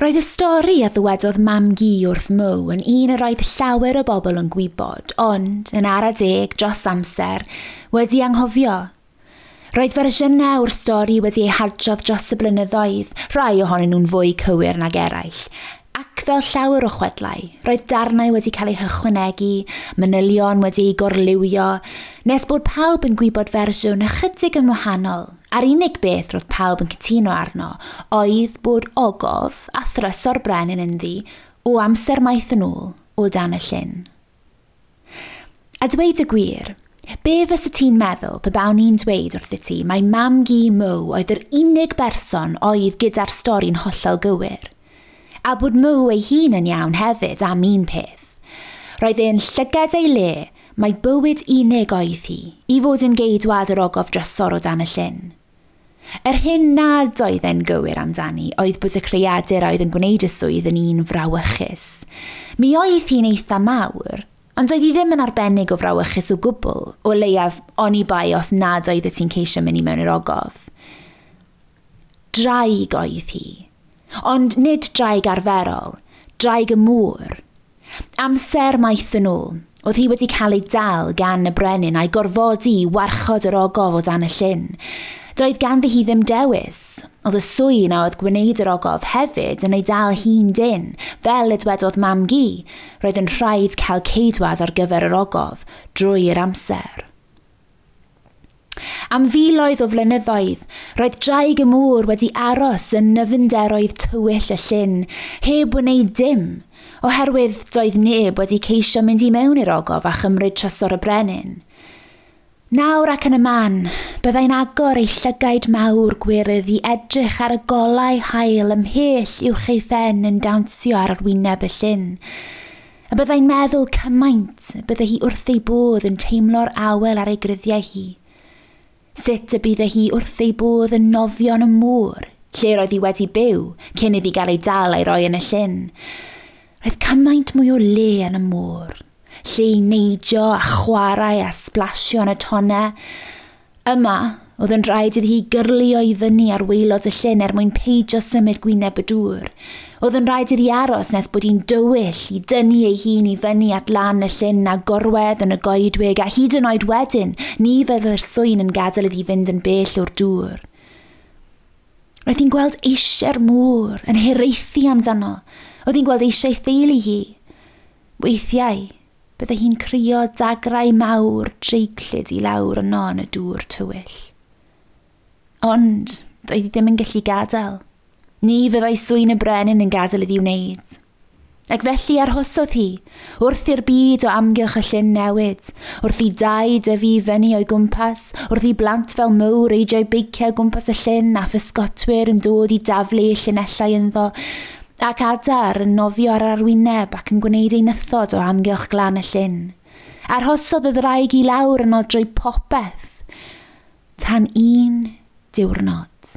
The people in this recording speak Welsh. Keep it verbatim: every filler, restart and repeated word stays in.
Roedd y stori a ddywedodd mam-gu wrth Mo yn un yr oedd llawer o bobl yn gwybod, ond, yn ara deg dros amser, wedi anghofio. Roedd fersiynau o'r stori wedi ei hadrodd dros y blynyddoedd, rhai ohonyn nhw'n fwy cywir nag eraill. Ac fel llawer o chwedlau, roedd darnau wedi cael eu hychwanegu, manylion wedi eu gorliwio, nes bod pawb yn gwybod fersiwn ychydig yn wahanol. A'r unig beth roedd pawb yn cytuno arno oedd bod ogof a thrysor brenin ynddi o amser maith yn ôl o dan y llyn. A dweud y gwir, be fysa ti'n meddwl pe bawn i'n dweud wrthyt ti mai mam-gu Mo oedd yr unig berson oedd gyda'r stori'n hollol gywir? A bod Mo ei hun yn iawn hefyd am un peth. Roedd e'n llygad ei le mai bywyd unig oedd hi i fod yn geidwad yr ogof drysor o dan y llyn. Yr hyn nad oedd e'n gywir amdani oedd bod y creadur oedd yn gwneud y swydd yn un frawychus. Mi oedd hi'n eitha mawr, ond oedd hi ddim yn arbennig o frawychus o gwbl, o leiaf oni bai os nad oedd ti'n ceisio mynd i mewn i'r ogof. Draig oedd hi, ond nid draig arferol, draig y môr. Amser maith yn ôl, oedd hi wedi cael ei dal gan y brenin a'i gorfodi i warchod yr ogof o dan y llyn. Doedd ganddi hi ddim dewis. Oedd y sŵn a oedd gwneud yr ogof hefyd yn ei dal hi'n dynn, fel y dwedodd mam-gu. Roedd yn rhaid cael ceidwad ar gyfer yr ogof drwy'r amser. Am filoedd o flynyddoedd, roedd draig y môr wedi aros yn nyfnderoedd tywyll y llyn, heb wneud dim, oherwydd doedd neb wedi ceisio mynd i mewn i'r ogof a chymryd trysor y brenin. Nawr ac yn y man, byddai'n agor ei llygaid mawr gwyrdd i edrych ar y golau haul ymhell uwch ei phen yn dawnsio ar arwyneb y llyn. A byddai'n meddwl cymaint y byddai hi wrth ei bodd yn teimlo'r awel ar ei gruddiau hi. Sut y bydde hi wrth ei bodd yn nofio yn y môr, lle roedd hi wedi byw cyn iddi gael ei dal a'i roi yn y llyn. Roedd cymaint mwy o le yn y môr, lle i neidio a chwarae a splasio yn y tonnau. Yma, oedd yn rhaid iddi hi gyrlio i fyny ar waelod y llyn er mwyn peidio symud gwyneb y dŵr. Oedd yn rhaid iddi aros nes bod hi'n dywyll i dynnu ei hun i fyny at lan y llyn a gorwedd yn y goedwig, a hyd yn oed wedyn, ni fydde'r swyn yn gadael iddi fynd yn bell o'r dŵr. Roedd hi'n gweld eisiau'r môr yn hiraethu amdano. Oedd hi'n gweld eisiau theulu hi. Weithiau, bydde hi'n crio dagrau mawr dreiglyd i lawr yno yn y dŵr tywyll. Ond doedd hi ddim yn gallu gadael. Ni fyddai swyn y brenin yn gadael iddi wneud. Ac felly arhosodd hi, wrth i'r byd o amgylch y llyn newid, wrth i dai dyfu fyny o'i gwmpas, wrth i blant fel Mo reidio'u beiciau o gwmpas y llyn a physgotwyr yn dod i daflu llinellau ynddo, ac adar yn nofio ar arwyneb ac yn gwneud ei nythod o amgylch glan y llyn. Arhosodd y ddraig i lawr yno drwy popeth, tan un diwrnod.